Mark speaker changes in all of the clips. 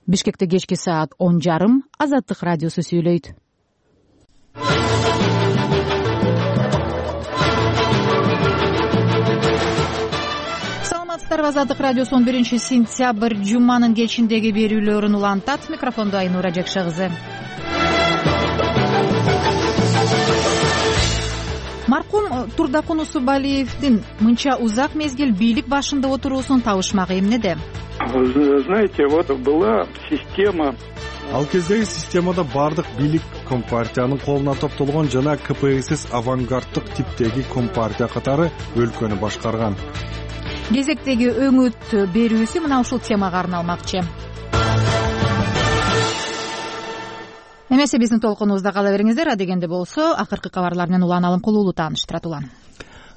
Speaker 1: Бишкекте кечки саат 10:30 Азаттык радиосу сүйлөйт. Саламатсыздарбы, Азаттык радиосу 11-сентябрь жуманын кечиндеги берүүлөрүн улантат. Микрофондо Айнура Жакша кызы. Маркум Турдакун Усубалиевдин мынча узак мезгил бийлик башында отуруусунун табышмагы эмнеде?
Speaker 2: Знаете, вот была система.
Speaker 3: Ал кездеги системада бардык бийлик компартиянын колуна топтолгон жана КПСС авангарддык типтеги компартия катары өлкөнү башкарган.
Speaker 1: Кезектеги өңүт берүүсү мына ушул темага арналмакчы. Эмесе биздин толкунубузда кала бериңиздер. Адегенде болсо акыркы кабарлар менен Улан Алымкулуулу тааныштырат. Улан.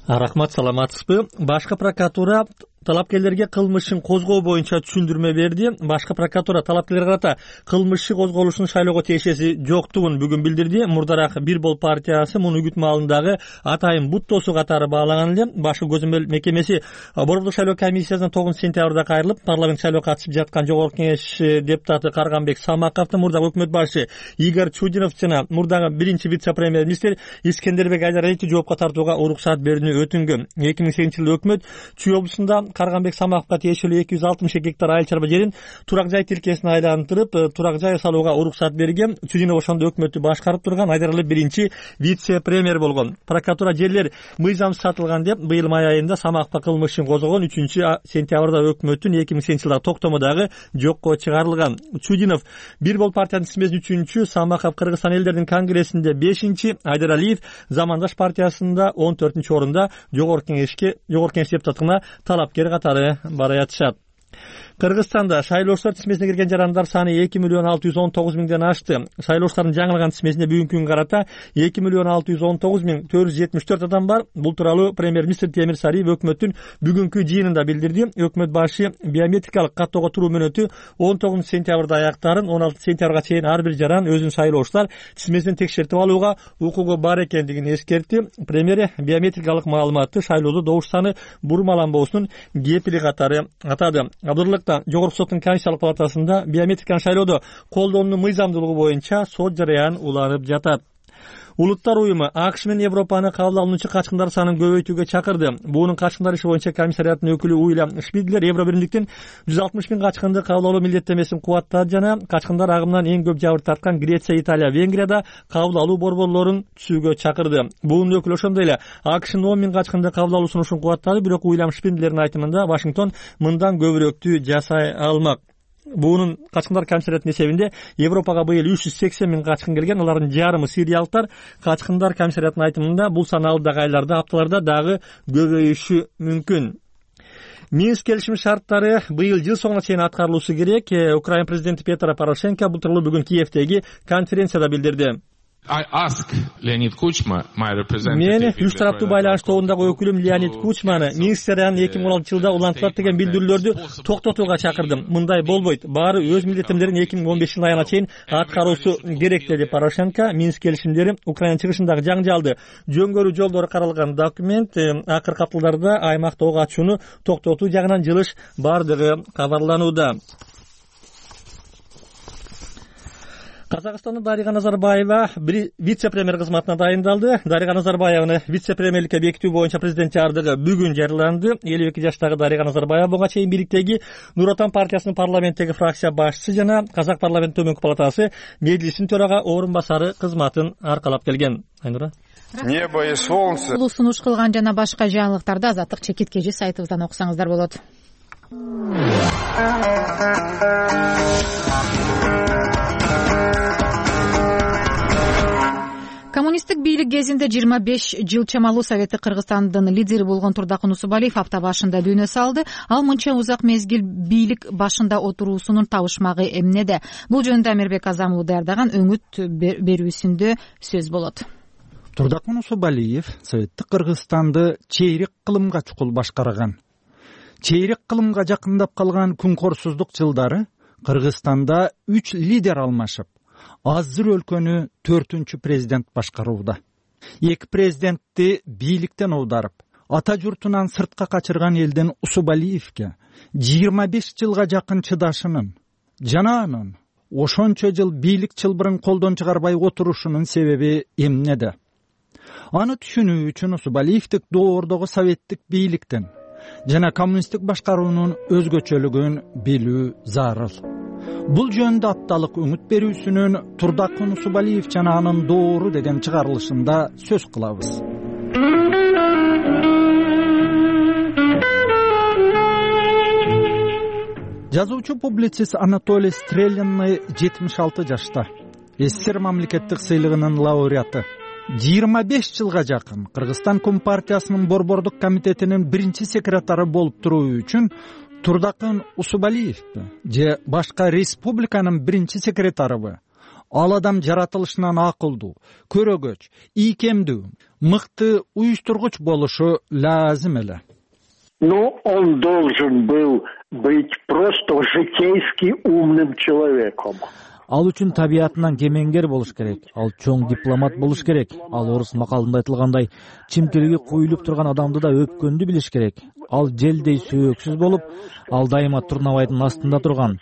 Speaker 4: Рахмат, саламатсызбы? Башкы прокуратура талапкерлерге кылмышын козгоо боюнча түшүндүрмө берди. Башкы прокуратура талапкерлерге карата кылмыш козголушун шайлоого тиешеси жоктугун бүгүн билдирди. Мурдараак Бир Бол партиясы муну үгүт маалындагы атайын буттосу катары баалаган эле. Башкы көзөмөл мекемеси Борбордук шайлоо комиссиясынан 9-сентябрда кайрылып, парламент шайлоого катышып жаткан Жогорку Кеңеш депутаты Карганбек Самаковду мурдагы өкмөт башы Игорь Чудинов жана мурдагы биринчи вице-премьер-министр Искендербек Айдаровду жоопко тартууга уруксат берүүнү өтүнгөн. 2008-жылы өкмөт Чүй облусунда Карганбек Самаковго тиешелүү 262 гектар айыл чарба жерин турак жай тилкесине айлантырып, турак жай салууга уруксат берген. Чудинов ошондо өкмөттү башкарып турган, Айдаралы биринчи вице-премьер болгон. Прокуратура жерлер мыйзамсыз сатылган деп быйыл май айында Самаковго кылмышын козгогон. 3-сентябрда өкмөттүн 2008-жылдагы токтомодагы жокко чыгарылган. Чудинов Бир Бол партиянын тизмесин 3-чү, Самаков Кыргызстан элдердин конгрессинде 5-чи, Айдаралиев Замандаш партиясында 14-чү орунда Жогорку Кеңеш депутаттыгына талапкер катары бара жатышат. Кыргызстанда шайлоочулар тизмесине кирген жарандар саны 2.619.000ден ашты. Шайлоочулардын жаңылган тизмесинде бүгүнкү күнгө карата 2.619.474 адам бар. Бул тууралуу премьер-министр Темир Сариев өкмөттүн бүгүнкү жыйынында билдирди. Өкмөт башы биометрикалык каттоого туруу мөөнөтү 19-сентябрда аяктарын, 16-сентябрга чейин ар бир жаран өзүнүн шайлоочулар тизмесин текшертип алууга укугу бар экендигин эскертти. Премьер биометрикалык маалыматты шайлоодо добуш саны бурмаланбоосунун кепили катары атады. Абдуллыкта Жогорку соттун Конституциялык палатасында биометриканы шайлоодо колдонуунун мыйзамдуулугу боюнча сот жарыян уланып жатат. Улуттар уюму АКШ менен Европаны кабыл алуучу качкындар санын көбөйтүүгө чакырды. Буунун качкындар иши боюнча комиссариаттын өкүлү Уильям Шпидлер Евро биримдиктин 160.000 качкынды кабыл алуу милдеттемесин кубаттады жана качкындар агымынан эң көп жабыр тарткан Греция, Италия, Венгрияда кабыл алуу борборлорун түзүүгө чакырды. Буунун өкүлү ошондой эле АКШнын 10.000 качкынды кабыл алуу сунушун кубаттады, бирок Уильям Шпидлердин айтымында Вашингтон мындан көбүрөөктү жасай алмак. Буунун качкындар комиссариятынын эсебинде Европага быйыл 380.000 качкын келген. Алардын жарымы сириялыктар. Качкындар комиссариятынын айтымында бул сан алдыдагы айларда, апталарда дагы көбөйүшү мүмкүн. Минск келишим шарттары быйыл жыл соңуна чейин аткарылышы керек. Украина президенти Петро Порошенко бул тууралуу бүгүн Киевдеги конференцияда билдирди.
Speaker 5: Мен
Speaker 4: үч тараптуу байланыш тобундагы өкүлүм Леонид Кучманы Минск жараянын 2016-жылда улантылат деген билдирүүлөрдү токтотууга чакырдым. Мындай болбойт. Баары өз милдеттемелерин 2015 айына чейин аткаруусу керек, деди Порошенко. Минск келишимдери Украина чыгышындагы жаңжалды жөнгөрүү жолдору каралган документ. Акыркы апталарда аймакта ок ачууну токтотуу жагынан жылыш бардыгы кабарланууда. Казакстанда Дарига Назарбаева вице-премьер кызматына дайындалды. Дарига Назарбаеваны вице-премьерликке бекитүү боюнча президент жардыгы бүгүн жарыяланды. 52 жаштагы Дарига Назарбаева буга чейин бийликтеги Нур Отан партиясынын парламенттеги фракция башчысы жана Казак парламенттин төмөнкү палатасы Медлисинин төрага орун басары кызматын аркалап келген. Айнура.
Speaker 2: Небо и солнце.
Speaker 1: Бул сунуш кылган жана башка жаңылыктарды Азаттык чекиткежи сайтыбыздан окусаңыздар болот. Коммунисттик бийлик кезинде 25 жыл чамалуу Советти Кыргызстандын лидери болгон Турдакун Усубалиев апта башында дүйнө салды. Ал мынча узак мезгил бийлик башында отуруусунун табышмагы эмнеде? Бул жөнүндө Амирбек Азамулу даярдаган өңүт берүүсүндө сөз болот.
Speaker 6: Турдакун Усубалиев Советти Кыргызстанды чейрек кылымга чукул башкарган. Чейрек кылымга жакындап калган күнкорсуздук жылдары Кыргызстанда 3 лидер алмашып, азыр өлкөнү 4-чү президент башкарууда. 2 президентти бийликтен аударып, ата журтунан сыртка качырган элдин Усубалиевке 25 жылга жакын чыдашынын, жана анын ошончо жыл бийлик чылбырын колдон чыгарбай отурушунун себеби эмнеде? Аны түшүнүү үчүн Усубалиевдик доордогу советтик бийликтин жана коммунисттик башкаруунун өзгөчөлүгүн билүү зарыл. Бул жөнүндө апталык үмүт берүүсүнүн Турдакын Усубалиев жана анын доору деген чыгарылышында сөз кылабыз. Жазуучу публицист Анатолий Стрелянный 76 жашта. СССР мамлекеттик сыйлыгынын лауреаты. 25 жылга жакын Кыргызстан Компартиясынын Борбордук комитетинин биринчи секретары болуп туруу үчүн Турдакын Усубалиевди же башка республиканын биринчи секретарыбы ал адам жаратылышынан акылдуу, көрөгөч, ийкемдүү, мыкты уюштургуч болушу лазым эле.
Speaker 7: Но он должен был быть просто житейски умным человеком.
Speaker 8: Ал үчүн табиятынан кемеңгер болуш керек. Ал чоң дипломат болуш керек. Ал орус макалында айтылгандай, чимкелиги куюлуп турган адамды да өпкөндү билиш керек. Ал желдей сөөксүз болуп, ал дайыма турнабайдын астында турган.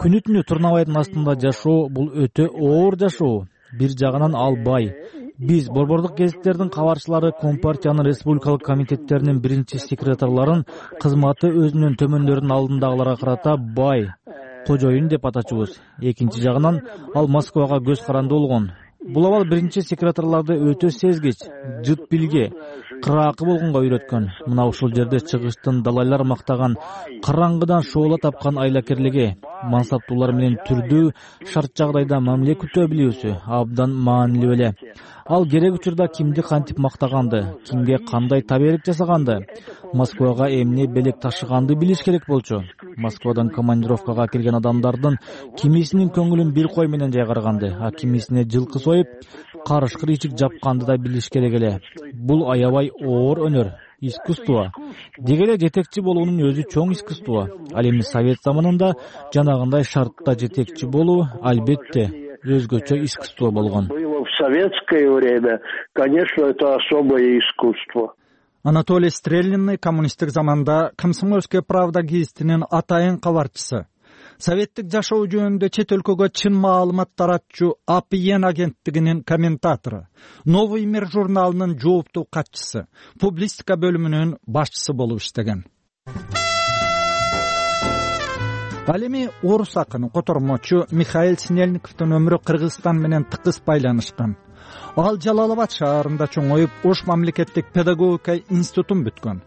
Speaker 8: Күнү түнү турнабайдын астында жашоо бул өтө оор жашоо. Бир жагынан ал бай. Биз борбордук гезиттердин кабарчылары Компартиянын республикалык комитеттеринин биринчи секретарларын кызматы өзүнүн төмөндөрүнүн алдындагыларга карата бай, кожоюн деп атачубуз. Экинчи жагынан ал Москвага көз каранды болгон. Бул абал биринчи секретарларды өтө сезгич, жыт билге, кыраакы болгонго үйрөткөн. Мына ушул жерде чыгыштын далайлар мактаган, караңгыдан шоола тапкан айлакерлиги, мансаптуулар менен түрдүү, шарт жагдайда мамиле күтө билүүсү абдан маанилүү эле. Ал керек учурда кимди кантип мактаганды, кимге кандай таберик жасаганды, Москвага эмне белек ташыганды билиш керек болчу. Москвадан командировкага келген адамдардын кимисинин көңүлүн бир кой менен жайгарганды, а кимисине жылкы союп, карышкыр ичик жапканды да билиш керек эле. Бул аябай оор өнөр, искусство. Деги эле жетекчи болуунун өзү чоң искусство. Ал эми совет заманында жанагындай шартта жетекчи болуу албетте өзгөчө искусство болгон.
Speaker 7: В советское время, конечно, это особое искусство.
Speaker 6: Анатолий Стрелянный коммунисттик заманда Комсомольская правда гезитинин атайын кабарчысы. Советтик жашоо жөнүндө чет өлкөгө чын маалымат таратчу АПН агенттигинин комментатору, Новый мир журналынын жооптуу катчысы, публистика бөлүмүнүн башчысы болуп иштеген. Ал эми орус акыны, котормочу Михаил Снельниковдун өмүрү Кыргызстан менен тыкыз байланышкан. Ал Жалалабад шаарында чоңоюп, Ош мамлекеттик педагогика институтун бүткөн.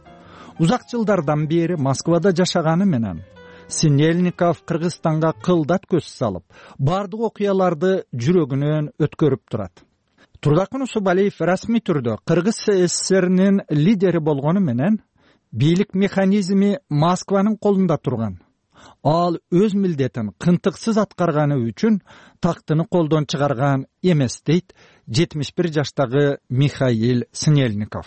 Speaker 6: Узак жылдардан бери Москвада жашаганы менен Снельников Кыргызстанга кылдат көз салып, бардык окуяларды жүрөгүнөн өткөрүп турат. Турдакын Усубалиев расмий түрдө Кыргыз СССРнин лидери болгону менен бийлик механизми Москванын колунда турган. Ал өз милдетин кынтыксыз аткарганы үчүн тактыны колдон чыгарган эмес, дейт 71 жаштагы Михаил Снельников.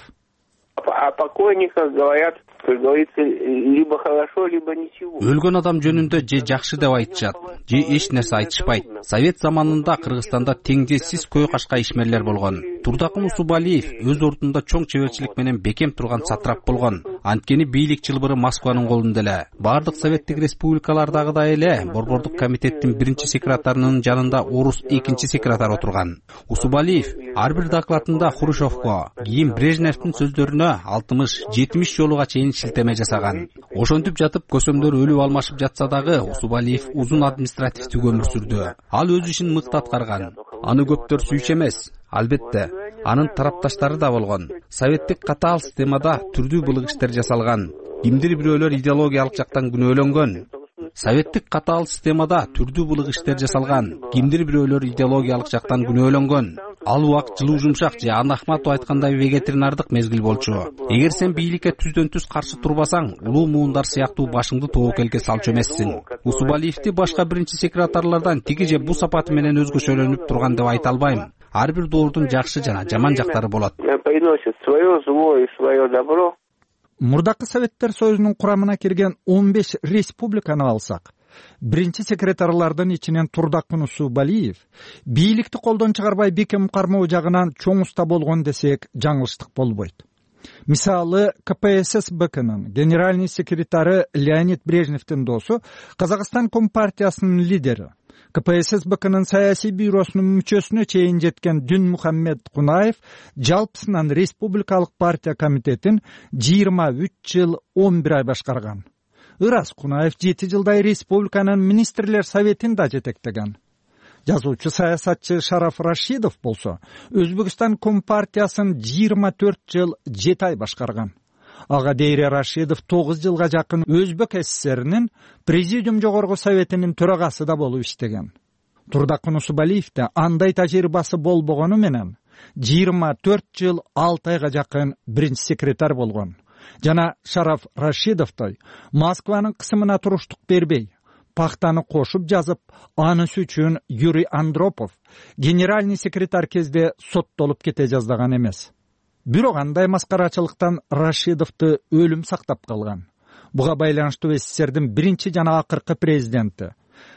Speaker 9: О покойниках говорят, как говорится, либо хорошо, либо ничего.
Speaker 10: Өлгөн адам жөнүндө же жакшы деп айтышат, же эч нерсе айтышпайт. Совет заманында Кыргызстанда теңдессиз көй кашка ишмерлер болгон. Турдакын Усубалиев өз ордунда чоң чеберчилик менен бекем турган сатрап болгон. Анткени бийлик чылбыры Москванын колунда эле. Бардык советтик республикалардагыдай эле Борбордук комитеттин биринчи секретарынын жанында орус экинчи секретар отурган. Усубалиев ар бир докладында Хрущевко, кийин Брежневдин сөздөрүнө 60-70 жолуга чейин шилтеме жасаган. Ошентип жатып көсөмдөр өлүп алмашып жатса дагы Усубалиев узун административдик өмүр сүрдү. Ал өз ишин мыкты аткарган. Аны көптөр сүйчү эмес. Албетте, анын тарапташтары да болгон. Советтик катаал системада түрдүү былык иштер жасалган. Кимдир бирөөлөр идеологиялык жактан күнөөлөнгөн. Советтик катаал системада түрдүү былык иштер жасалган. Кимдир бирөөлөр идеологиялык жактан күнөөлөнгөн. Ал убакыт жылуу жумшак же Ана Ахматов айткандай вегетаринардык мезгил болчу. Эгер сен бийликке түздөн түз каршы турбасаң, улуу муундар сыяктуу башыңды тобокелге салчу эмессиң. Усубалиевди башка биринчи секретарлардан тиги же бу сапаты менен өзгөчөлөнүп турган деп айта албайм. Ар бир доордун жакшы жана жаман жактары болот.
Speaker 9: Приносит свое зло и свое добро.
Speaker 6: Мурдакы Советтер Союзунун курамына кирген 15 республиканы алсак, биринчи секретарлардын ичинен Турдакын Усубалиев бийликти колдон чыгарбай бекем кармоо жагынан чоң уста болгон десек жаңылыштык болбойт. Мисалы, КПССБКнын генеральный секретары Леонид Брежневдин досу, Казакстан Компартиясынын лидери, КПССБКнын саясий бюросунун мүчөсүнө чейин жеткен Дюнмухаммед Кунаев жалпысынан Республикалык партия комитетин 23 жыл 11 ай башкарган. Ырас Кунаев 7 жылдай республиканын министрлер советин да жетектеген. Жазуучу саясатчы Шараф Рашидов болсо, Өзбекстан Компартиясын 24 жыл 7 ай башкарган. Ага дейре Рашидов 9 жылга жакын Өзбек СССРнин Президиум жогорку советинин төрагасы да болуп иштеген. Турдакын Усубалиев да андай тажрыйбасы болбогону менен 24 жыл 6 айга жакын биринчи секретарь болгон. Жана Шараф Рашидовтой Москванын кысымына туруштук бербей, пахтаны кошуп жазып, анысы үчүн Юрий Андропов генеральный секретарь кезде соттолуп кете жаздаган эмес. Бирок андай маскарачылыктан Рашидовду өлүм сактап калган. Буга байланыштуу СССРдин биринчи жана акыркы президенти,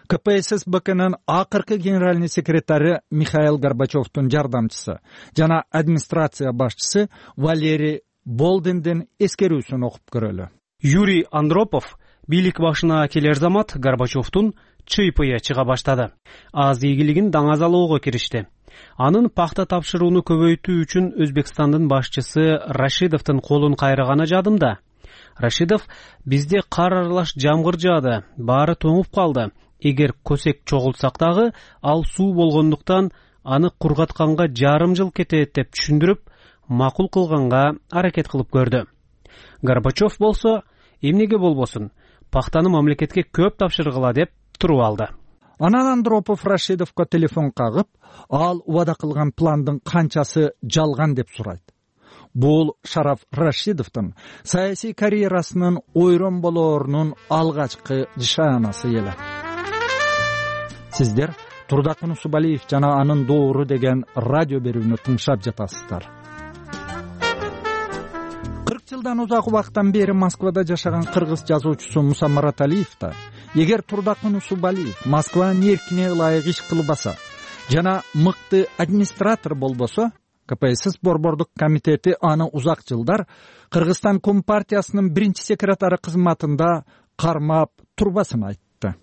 Speaker 6: КПССБКнын акыркы генеральный секретары Михаил Горбачевдун жардамчысы жана администрация башчысы Валерий Болдиндин эскерүүсүн окуп көрөлү.
Speaker 11: Юрий Андропов бийлик башына келер замат Горбачевдун чыйпыя чыга баштады. Аз ийгилигин даңазалоого киришти. Анын пахта тапшырууну көбөйтүү үчүн Өзбекстандын башчысы Рашидовдун колун кайрыганы жадымда. Рашидов: бизде кар аралаш жамгыр жаады, баары тоңуп калды. Эгер көсек чогултсак дагы, ал суу болгондуктан аны кургатканга жарым жыл кетет деп түшүндүрүп, макул кылганга аракет кылып көрдү. Горбачев болсо, эмнеге болбосун, пахтаны мамлекетке көп тапшыргыла деп туруп алды.
Speaker 6: Анан Андропов Рашидовго телефон кагып, ал убада кылган пландын канчасы жалган деп сурайт. Бул Шараф Рашидовдун саясий карьерасынын ойрон болоорунун алгачкы нишанасы эле. Сиздер Турдакын Усубалиев жана анын доору деген радио берүүнү тыңшап жатасыздар. 40 жылдан узак убакыттан бери Москвада жашаган кыргыз жазуучусу Муса Мараталиев да, эгер Турдакын Усубалиев Москванын эркине ылайык иш кылбаса жана мыкты администратор болбосо, КПСС борбордук комитети аны узак жылдар Кыргызстан Компартиясынын биринчи секретары кызматында кармап турбасын айтты.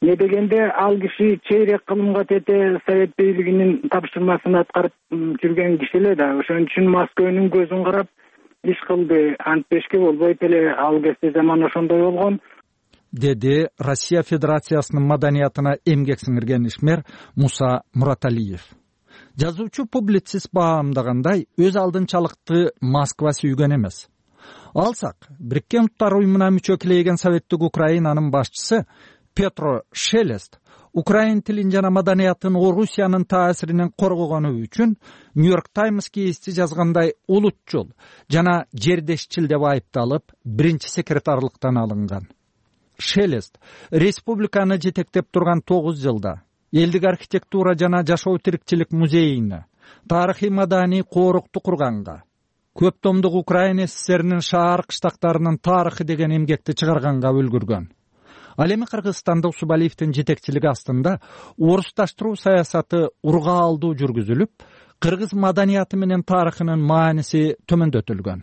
Speaker 12: Не дегенде ал киши чейрек кылымга тете совет бийлигинин тапшырмасын аткарып жүргөн киши эле да. Ошон үчүн Москванын көзүн карап иш кылды. Антпешке болбойт эле, ал кезде заман ошондой болгон,
Speaker 6: деди Россия Федерациясынын маданиятына эмгек сиңирген ишмер Муса Мураталиев. Жазуучу публицист баамдагандай, өз алдынчалыкты Москва сүйгөн эмес. Алсак, Бириккен Уттар уюмуна мүчө килейген Советтик Украинанын башчысы Петро Шелест украин тилин жана маданиятын Орусиянын таасиринен коргогону үчүн Нью-Йорк Таймс гезити жазгандай улутчул жана жердешчил деп айыпталып, биринчи секретарлыктан алынган. Шелест республиканы жетектеп турган 9 жылда элдик архитектура жана жашоо тирикчилик музейине, тарыхый маданий коорукту курганга, көп томдук Украин СССРинин шаар кыштактарынын тарыхы деген эмгекти чыгарганга үлгүргөн. Ал эми Кыргызстанда Усубалиевдин жетекчилиги астында орусташтыруу саясаты урга алдуу жүргүзүлүп, кыргыз маданияты менен тарыхынын мааниси төмөндөтүлгөн.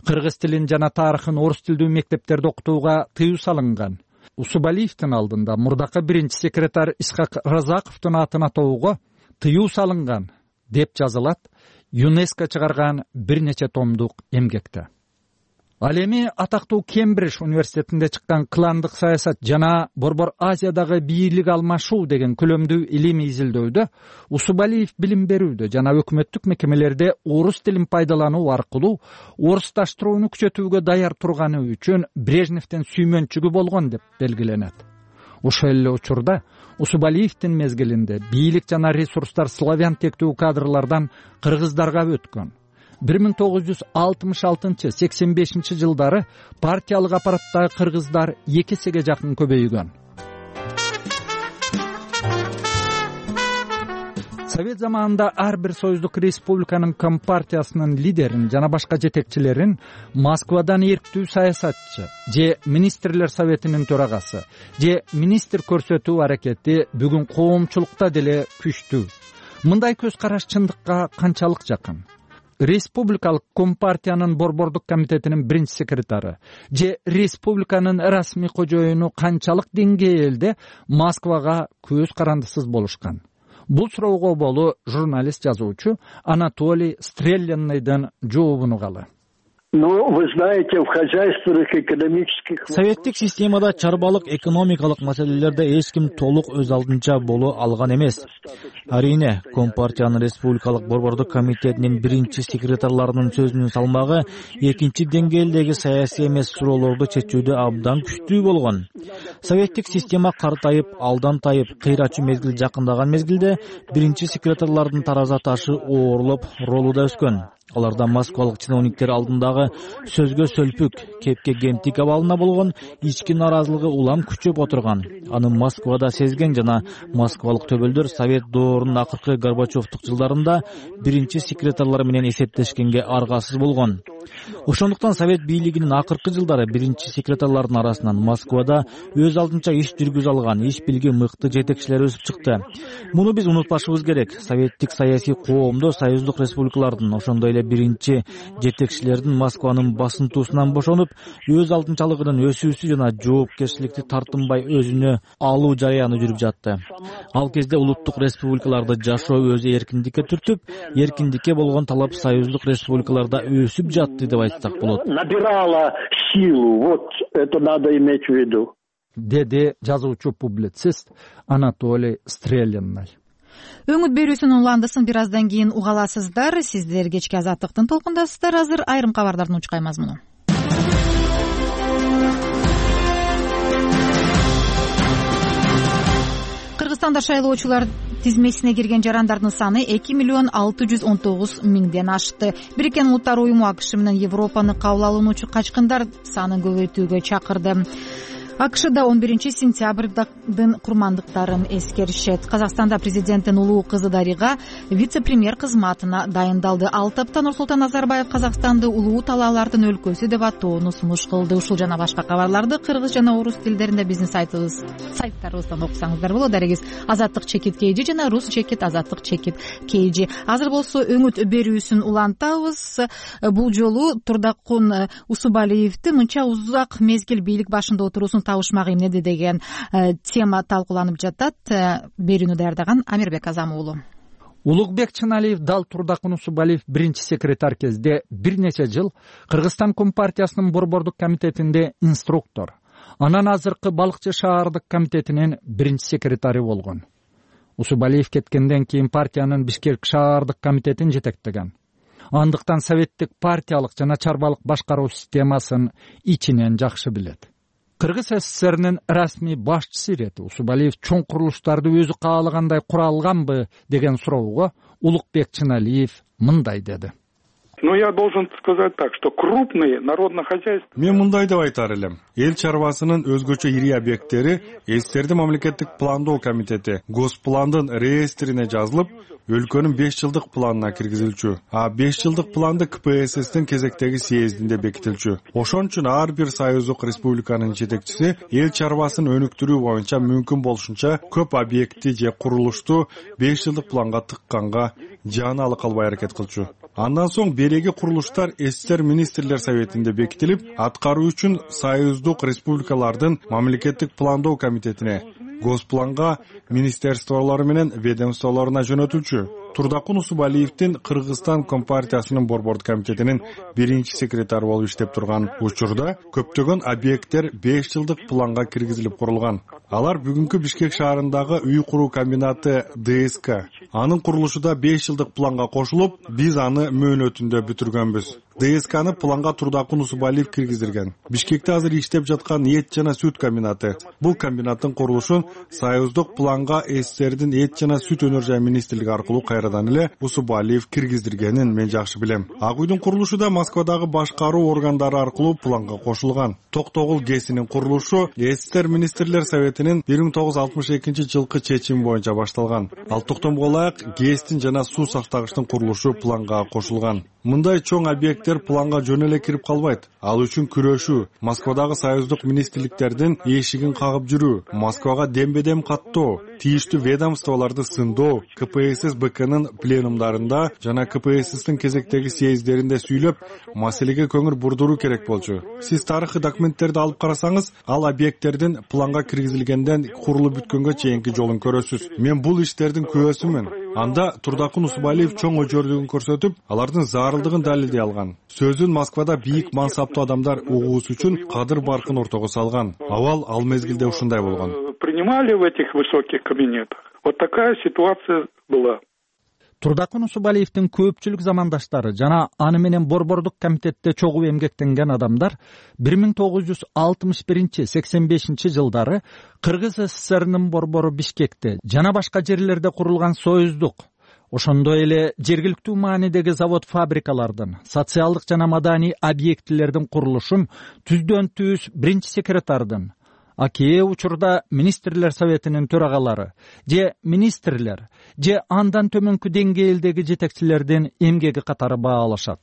Speaker 6: Кыргыз тилин жана тарыхын орус тилдүү мектептерде окутууга тыюу салынган. Усубалиевдин алдында мурдакы биринчи секретарь Исхак Разаковдун атын атоого тыюу салынган деп жазылат ЮНЕСКО чыгарган бир нече томдук эмгекте. Ал эми атактуу Кембридж университетинде чыккан кландык саясат жана Борбор Азиядагы бийлик алмашуу деген көлөмдүү илимий изилдөөдө Усубалиев билим берүүдө жана өкмөттүк мекемелерде орус тилин пайдалануу аркылуу орусташтырууну күчөтүүгө даяр турганы үчүн Брежневдин сүймөнчүгү болгон деп белгиленет. Ошол эле учурда Усубалиевдин мезгилинде бийлик жана ресурстар славян тектүү кадрлардан кыргыздарга өткөн. 1966-85 жылдары партиялык аппараттагы кыргыздар 2 эсеге жакын көбөйгөн. Совет заманында ар бир союздук республиканын компартиясынын лидерин жана башка жетекчилерин Москвадан эрктүү саясатчы же министрлер советинин төрагасы же министр көрсөтүү аракети бүгүн коомчулукта деле күчтүү. Мындай көз караш чындыкка канчалык жакын? республикалык компартиянын борбордук комитетинин биринчи секретары же республиканын расмий кожоюну канчалык деңгээлде Москвага көз карандысыз болушкан? Бул суроого болуу журналист жазуучу Анатолий Стрелянныйдын жообун угалы.
Speaker 7: Вы знаете, в хозяйственных экономических...
Speaker 8: Советтик системада чарбалык экономикалык маселелерде эч ким толук өз алдынча боло алган эмес. Арийне, Компартиянын республикалык борбордук комитетинин биринчи секретарларынын сөзүнүн салмагы экинчи деңгээлдеги саясий эмес суроолорду чечүүдө абдан күчтүү болгон. Советтик система картайып, алдан тайып, кыйрачу мезгил жакындаган мезгилде биринчи секретарлардын тараза ташы оорлоп, ролу да өскөн. Аларда москвалык чиновниктер алдындагы сөзгө сөлпүк, кепке кемтик абалына болгон ички наразылыгы улам күчөп отурган. Аны Москвада сезген жана москвалык төбөлдөр Совет доорунун акыркы Горбачевдук жылдарында биринчи секретарлар менен эсептешкенге аргасыз болгон. Ошондуктан Совет бийлигинин акыркы жылдары биринчи секретарлардын арасынан Москвада өз алдынча иш жүргүзө алган, иш билги мыкты жетекчилер өсүп чыкты. Муну биз унутпашыбыз керек. Советтик саясий коомдо союздук республикалардын, ошондой эле биринчи жетекчилердин Москванын басынтуусунан бошонуп, өз алдынчалыгынын өсүүсү жана жоопкерчиликти тартынбай өзүнө алуу жараяны жүрүп жатты. Ал кезде улуттук республикаларды жашоо өзү эркиндикке түртүп, эркиндикке болгон талап союздук республикаларда өсүп жатты деп айтсак болот.
Speaker 7: Набирала силу, вот это надо иметь в виду.
Speaker 6: Деди жазуучу-публицист Анатолий Стрелянный.
Speaker 1: Өңүт берүүсүнүн уландысын бир аздан кийин угаласыздар. Сиздер кечки азаттыктын толкундасыздар. Азыр айрым кабардардын учкай мазмуну. Кыргызстанда шайлоочулар тизмесине кирген жарандардын саны 2,619,000 ашты. Бириккен Улуттар уюму АКШ менен Европаны кабыл алуучу качкындар санын көбөйтүүгө чакырды. АКШда 11-сентябрдын курмандыктарын эскеришет. Казакстанда президенттин улуу кызы Дарига вице-премьер кызматына дайындалды. 6 апта Нурсултан Назарбаев Казакстанды улуу талаалардын өлкөсү деп атоону сунуш кылды. Ушул жана башка кабарларды кыргыз жана орус тилдеринде биздин сайттарыбыздан окусаңыздар болот. Дарегиз Азаттык чекит KG жана Рус чекит Азаттык чекит KG. Азыр болсо өңүт берүүсүн улантабыз. Бул жолу Турдакун Усубалиевди мынча узак мезгил бийлик башында отуруусун табышмак эмнеде деген тема талкууланып жатат. Берүүнү даярдаган Амирбек Азам уулу.
Speaker 6: Улукбек Чыналиев дал Турдакун Усубалиев биринчи секретарь кезде бир нече жыл Кыргызстан Компартиясынын борбордук комитетинде инструктор, анан азыркы Балыкчы шаардык комитетинин биринчи секретары болгон. Усубалиев кеткенден кийин партиянын Бишкек шаардык комитетин жетектеген. Андыктан советтик партиялык жана чарбалык башкаруу системасын ичинен жакшы билет. Кыргыз СССРнин расмий башчысы ирети Усубалиев чоң курулуштарды өзү каалагандай кура алганбы деген суроого Улукбек Чыналиев мындай деди.
Speaker 2: Я должен сказать так, что крупные народно-хозяйственные...
Speaker 3: Мен мындай деп айтар элем. Эл чарбасынын өзгөчө ири объекттери СССРдин мамлекеттик пландоо комитети Госпландын реестрине жазылып, өлкөнүн 5 жылдык планына киргизилчү. А 5 жылдык планды КПССтин кезектеги съездинде бекитилчү. Ошон үчүн ар бир союздук республиканын жетекчиси эл чарбасын өнүктүрүү боюнча мүмкүн болушунча көп объекти же курулушту 5 жылдык планга тыкканга жана ала калбай аракет кылчу. Андан соң береги курулуштар СССР министрлер советинде бекитилип, аткаруу үчүн союздук республикалардын мамлекеттик пландоо комитетине, Госпланга, министерстволору менен ведомстволоруна жөнөтүлчү. Турдакун Усубалиевдин Кыргызстан Компартиясынын борбордук комитетинин биринчи секретары болуп иштеп турган учурда көптөгөн объекттер 5 жылдык планга киргизилип курулган. Алар бүгүнкү Бишкек шаарындагы үй куруу комбинаты ДСК. Анын курулушу да 5 жылдык планга кошулуп, биз аны мөөнөтүндө бүтүргөнбүз. ДСКны планга Турдакун Усубалиев киргиздирген. Бишкекте азыр иштеп жаткан эт жана сүт комбинаты. Бул комбинаттын курулушун союздук планга СССРдин эт жана сүт өнөр жай министрлиги аркылуу кайрадан эле Усубалиев киргиздиргенин мен жакшы билем. Ак үйдүн курулушу да Москвадагы башкаруу органдары аркылуу планга кошулган. Токтогул ГЭСинин курулушу СССР министрлер советинин 1962-жылкы чечими боюнча башталган. Ал токтомго ылайык ГЭСтин жана суу сактагычтын курулушу планга кошулган. Мындай чоң объекттер планга жөн эле кирип калбайт. Ал үчүн күрөшүү, Москвадагы союздук министрликтердин эшигин кагып жүрүү, Москвага дембедем каттоо, тийиштүү ведомстволорду сындоо КПСС БКнын пленумдарында жана КПССтин кезектеги съезддеринде сүйлөп, маселеге көңүл бурдуруу керек болчу. Сиз тарыхый документтерди алып карасаңыз, ал объекттердин планга киргизилгенден курулуп бүткөнгө чейинки жолун көрөсүз. Мен бул иштердин күбөсүмүн. Анда Турдакун Усубалиев чоң өжөрдүгүн көрсөтүп, алардын зарылдыгын далилдей алган. Сөзүн Москвада бийик мансаптуу адамдар угуусу үчүн кадыр баркын ортого салган. Абал ал мезгилде ушундай болгон.
Speaker 2: Принимали в этих высоких кабинетах. Вот такая ситуация была.
Speaker 6: Турдакун Усубалиевдин көпчүлүк замандаштары жана аны менен Борбордук комитетте чогуу эмгектенген адамдар 1961-85 жылдары Кыргыз СССРнын борбору Бишкекте жана башка жерлерде курулган союздук, ошондой эле жергиликтүү маанидеги завод-фабрикалардын, социалдык жана маданий объектилердин курулушун түздөн-түз биринчи секретардын, а кээ учурда министрлер советинин төрагалары же министрлер же андан төмөнкү деңгээлдеги жетекчилердин эмгеги катары баалашат.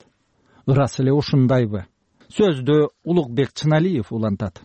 Speaker 6: Ырас эле ушундайбы? Сөздү Улукбек Чыналиев улантат.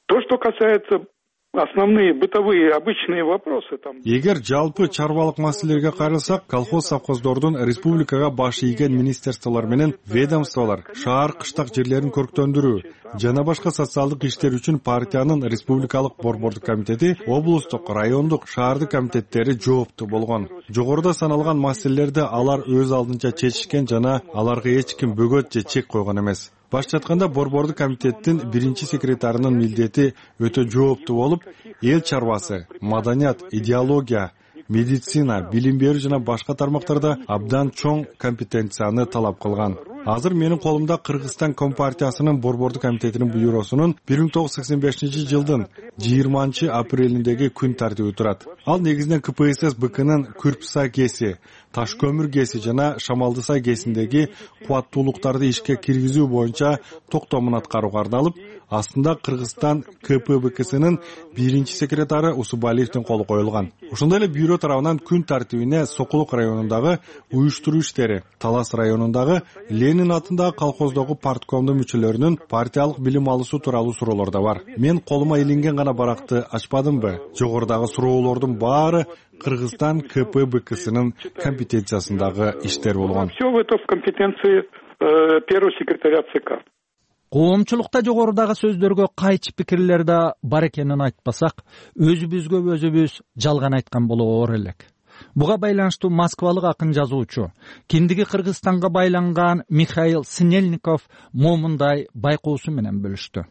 Speaker 2: То, что касается основные бытовые обычные вопросы там.
Speaker 3: Эгер жалпы чарбалык маселелерге кайрылсак, колхоз совхоздордун республикага баш ийген министрликтер менен ведомстволор шаар кыштак жерлерин көрктөндүрүү жана башка социалдык иштер үчүн партиянын республикалык борбордук комитети, облустук, райондук, шаардык комитеттери жооптуу болгон. Жогоруда саналган маселелерди алар өз алдынча чечишкен жана аларга эч ким бөгөт же чек койгон эмес. Башчы айтканда борбордук комитеттин биринчи секретарынын милдети өтө жооптуу болуп, эл чарбасы, маданият, идеология, медицина, билим берүү жана башка тармактарда абдан чоң компетенцияны талап кылган. Азыр менин колумда Кыргызстан Компартиясынын борбордук комитетинин буйруусунун 1985 жылдын 20 апрелиндеги күн тартиби турат. Ал негизинен КПСС БКнын Күрпсай КЭСи, Таш көмүр КЭСи жана Шамалдысай КЭСиндеги кубаттуулуктарды ишке киргизүү боюнча токтомун аткарууга арналып, астында Кыргызстан КПБКсынын биринчи секретары Усубалиевдин колу коюлган. Ошондой эле бюро тарабынан күн тартибине Сокулук районундагы уюштуруу иштери, Талас районундагы Ленин атындагы колхоздогу парткомдун мүчөлөрүнүн партиялык билим алуусу тууралуу суроолор да бар. Мен колума илинген гана баракты ачпадымбы? Жогорудагы суроолордун баары Кыргызстан КПБКсынын компетенциясындагы иштер болгон.
Speaker 2: Все это в компетенции первого секретаря ЦК.
Speaker 6: Коомчулукта жогорудагы сөздөргө кайчы пикирлер да бар экенин айтпасак, өзүбүз жалган айткан болоор элек. Буга байланыштуу москвалык акын жазуучу, киндиги Кыргызстанга байланган Михаил Снельников момундай байкоосу менен бөлүштү.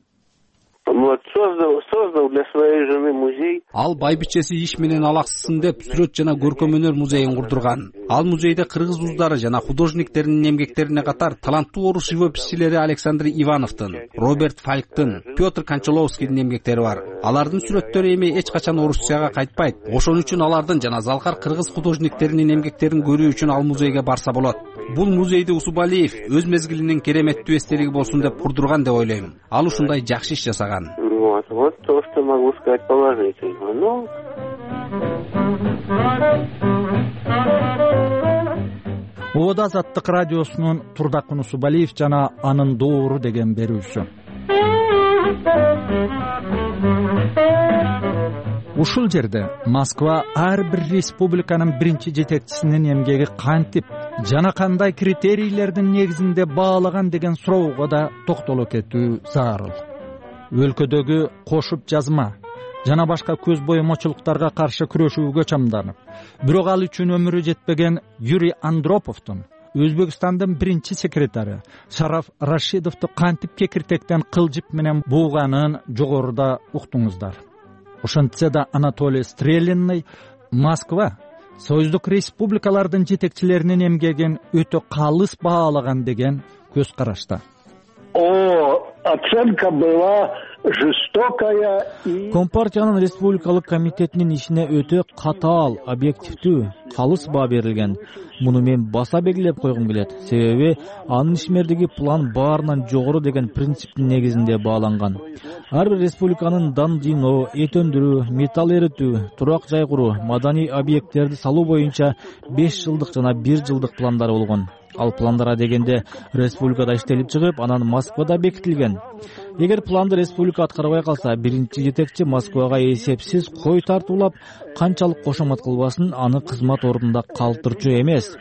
Speaker 9: Создал для своей жены музей.
Speaker 10: Ал байбичеси иш менен алаксысын деп сүрөт жана көркөм өнөр музейин курдурган. Ал музейде кыргыз уздары жана художниктердин эмгектерине катар таланттуу орус живописчилери Александр Ивановдун, Роберт Фалктын, Петр Кончаловскийдин эмгектери бар. Алардын сүрөттөрү эми эч качан Орусияга кайтпайт. Ошон үчүн алардын жана залкар кыргыз художниктеринин эмгектерин көрүү үчүн ал музейге барса болот. Бул музейди Усубалиев өз мезгилинин кереметтүү эстелиги болсун деп курдурган деп ойлойм. Ал ушундай жакшы иш жасаган.
Speaker 9: Вот то, что могу сказать положительно. Ну,
Speaker 6: Ода Азаттык радиосунун Турдакун Усубалиев жана анын доору деген берүүсү. Ушул жерде Москва ар бир республиканын биринчи жетекчисинин эмгеги кантип жана кандай критерийлердин негизинде баалаган деген суроого да токтоло кетүү зарыл. Өлкөдөгү кошуп жазма жана башка көз боемочулуктарга каршы күрөшүүгө чамданып, бирок ал үчүн өмүрү жетпеген Юрий Андроповдун, Өзбекстандын биринчи секретары Шараф Рашидовду кантип кекиртектен кылжып менен бууганын жогоруда уктуңуздар. Ошентсе да Анатолий Стрелинный Москва союздук республикалардын жетекчилеринин эмгегин өтө калыс баалаган деген көз карашта.
Speaker 7: Оценка была жестокая и...
Speaker 8: Компартиянын республикалык комитетинин ишине өтө катаал, объективдүү, калыс баа берилген. Муну мен баса белгилеп койгум келет. Себеби анын ишмердиги план баарынан жогору деген принциптин негизинде бааланган. Ар бир республиканын дан жыйноо, эт өндүрүү, металл эритүү, турак жай куруу, маданий объекттерди салуу боюнча 5 жылдык жана 1 жылдык пландары болгон. Ал пландара дегенде республикада иштелип чыгып, анан Москвада бекитилген. Эгер планды республика аткарбай калса, биринчи жетекчи Москвага эсепсиз кой тартуулап, канчалык кошомат кылбасын аны кызмат ордунда калтырчу эмес.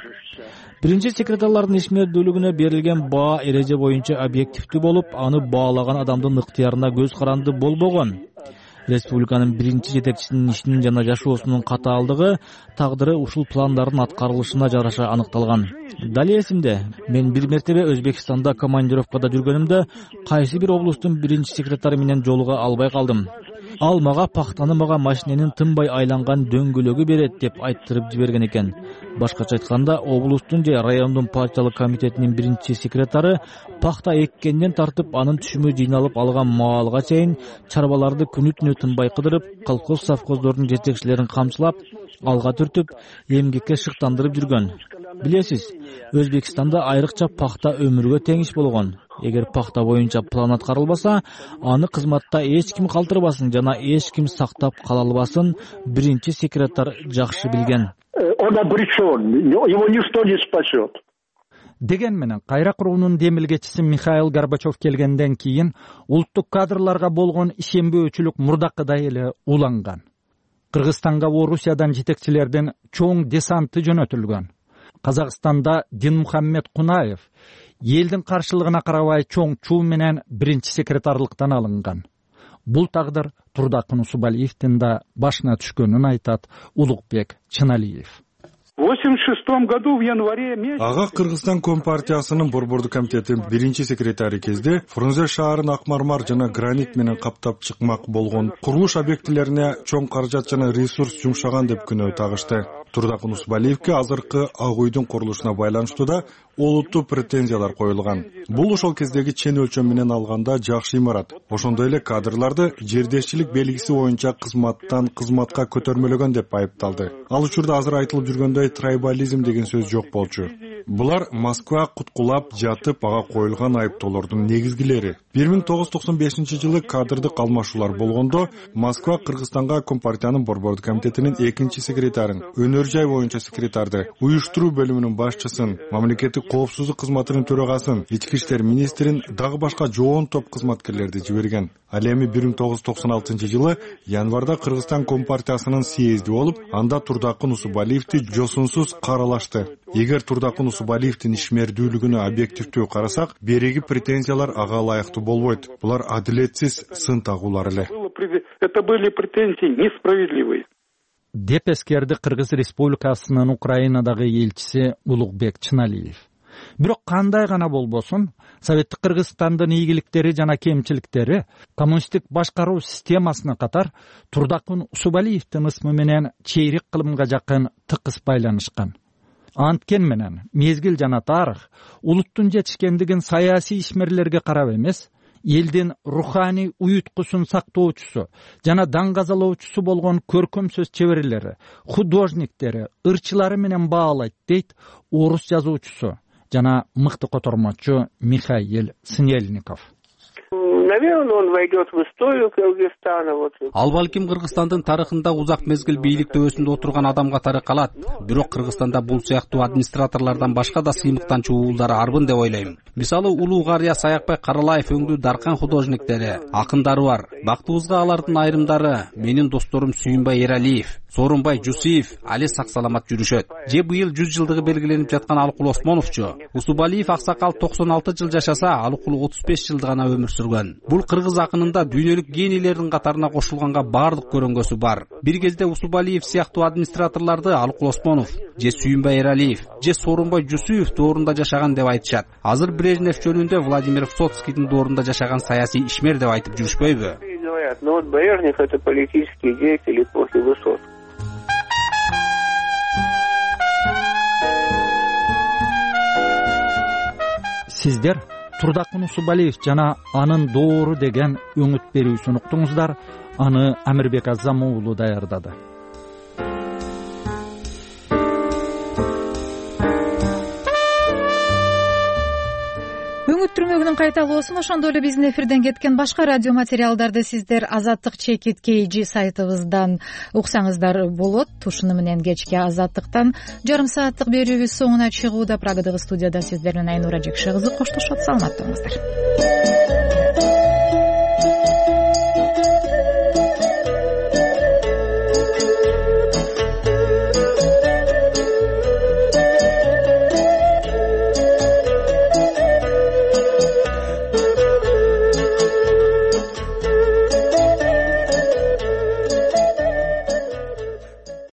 Speaker 8: Биринчи секретарлардын ишмердүүлүгүнө берилген баа эреже боюнча объективдүү болуп, аны баалаган адамдын ыктыярына көз каранды болбогон. Республиканын биринчи жетекчисинин ишинин жана жашоосунун катаалдыгы, тагдыры ушул пландардын аткарылышына жараша аныкталган. Дали эсимде, мен бир мертебе Өзбекстанда командировкада жүргөнүмдө кайсы бир облустун биринчи секретары менен жолуга албай калдым. Ал мага пахтаны мага машиненин тынбай айланган дөңгөлөгү берет деп айттырып жиберген экен. Башкача айтканда, облустун же райондун партиялык комитетинин биринчи секретары пахта эккенден тартып, анын түшүмү жыйналып алган маалга чейин чарбаларды күнү-түнү тынбай кыдырып, колхоз совхоздордун жетекчилерин камчылап, алга түртүп, эмгекке шыктандырып жүргөн. Билесиз, Өзбекстанда айрыкча пахта өмүргө тең иш болгон. Эгер пахта боюнча план аткарылбаса, аны кызматта эч ким калтырбасын жана эч ким сактап кала албасын биринчи секретарь жакшы билген.
Speaker 7: Он обречен, его ничто не спасет.
Speaker 6: Деген менен кайра куруунун демилгечиси Михаил Горбачев келгенден кийин улуттук кадрларга болгон ишенбөөчүлүк мурдакыдай эле уланган. Кыргызстанга Орусиядан жетекчилердин чоң десанты жөнөтүлгөн. Казакстанда Динмухаммед Кунаев элдин каршылыгына карабай чоң чуу менен биринчи секретарлыктан алынган. Бул тагдыр Турдакын Усубалиевдин да башына түшкөнүн айтат Улукбек Чыналиев.
Speaker 2: В 86 году в январе месяце
Speaker 3: ага Кыргызстан Компартиясынын борбордук комитетинин биринчи секретары кезде Фрунзе шаарын ак мармар жана гранит менен каптап чыкмак болгон курулуш объектилерине чоң каражат жана ресурс жумшаган деп күнөө тагышты. Турдакын Усубалиевке азыркы Ак үйдүн курулушуна байланыштуу да олуттуу претензиялар коюлган. Бул ошол кездеги чен өлчөм менен алганда жакшы имарат. Ошондой эле кадрларды жердешчилик белгиси боюнча кызматка көтөрмөлөгөн деп айыпталды. Ал учурда азыр айтылып жүргөндөй трайбализм деген сөз жок болчу. Булар Москва куткулап жатып ага коюлган айыптоолордун негизгилери. 1995-жылы кадрдык алмашуулар болгондо Москва Кыргызстанга Компартиянын борбордук комитетинин экинчи секретарын, өнөр жай боюнча секретарды, уюштуруу бөлүмүнүн башчысын, мамлекеттик коопсуздук кызматынын төрагасын, ички иштер министрин, дагы башка жоон топ кызматкерлерди жиберген. Ал эми 1996-жылы январда Кыргызстан Компартиясынын съезди болуп, анда Турдакын Усубалиевди жосунсуз каралашты. Эгер Турдакын Усубалиевдин ишмердүүлүгүнө объективдүү карасак, береги претензиялар ага ылайыктуу болбойт. Булар адилетсиз сын тагуулар эле.
Speaker 2: Это были претензии несправедливые.
Speaker 6: Деп эскерди Кыргыз Республикасынын Украинадагы элчиси Улукбек Чыналиев. Бирок кандай гана болбосун, Советтик Кыргызстандын ийгиликтери жана кемчиликтери коммунисттик башкаруу системасына катар Турдакын Усубалиевдин ысмы менен чейрек кылымга жакын тыкыз байланышкан. Анткен менен мезгил жана тарых улуттун жетишкендигин саясий ишмерлерге карап эмес, элдин руханий уюткусун сактоочусу жана даңгазалоочусу болгон көркөм сөз чеберлери, художниктери, ырчылары менен баалайт дейт орус жазуучусу жана мыкты котормочу Михаил Снельников.
Speaker 9: Наверное, он войдет в историю Кыргызстана.
Speaker 10: Ал балким Кыргызстандын тарыхында узак мезгил бийлик төбөсүндө отурган адам катары калат. Бирок Кыргызстанда бул сыяктуу администраторлордон башка да сыймыктанчу уулдар арбын деп ойлойм. Мисалы Улуу Карыя Саякбай Каралаев өңдүү даркан художниктери, акындары бар. Бактыбызга алардын айрымдары менин досторум Сүйүнбай Эралиев, Сооронбай Жусиев али сак саламат жүрүшөт. Же быйыл 100 жылдыгы белгиленип жаткан Алыкул Осмоновчу. Усубалиев аксакал 96 жыл жашаса, Алыкул 35 жыл гана өмүр сүргөн. Бул кыргыз акынында дүйнөлүк генийлердин катарына кошулганга баардык көрөнгөсү бар. Бир кезде Усубалиев сыяктуу администраторлорду Алыкул Осмонов, же Сүйүнбай Эралиев, же Сооронбай Жусиев доорунда жашаган деп айтышат. Азыр Брежнев жөнүндө Владимир Высоцкийдин доорунда жашаган саясий ишмер деп айтып жүрүшпөйбү?
Speaker 9: Но вот Брежнев — это политический деятель эпохи Высоцкого.
Speaker 6: Сиздер Турдакын Усубалиев жана анын доору деген өңүт берүүсүн уктуңуздар. Аны Амирбек Азам уулу даярдады.
Speaker 1: үмүт түрмөгүнүн кайталоосун, ошондой эле биздин эфирден кеткен башка радио материалдарды сиздер Азаттык /KG сайтыбыздан уксаңыздар болот. Ушуну менен кечки Азаттыктан жарым сааттык берүүбүз соңуна чыгууда. Прагадагы студияда сиздер менен Айнура Жекше кызы коштошот. Саламатта болуңуздар.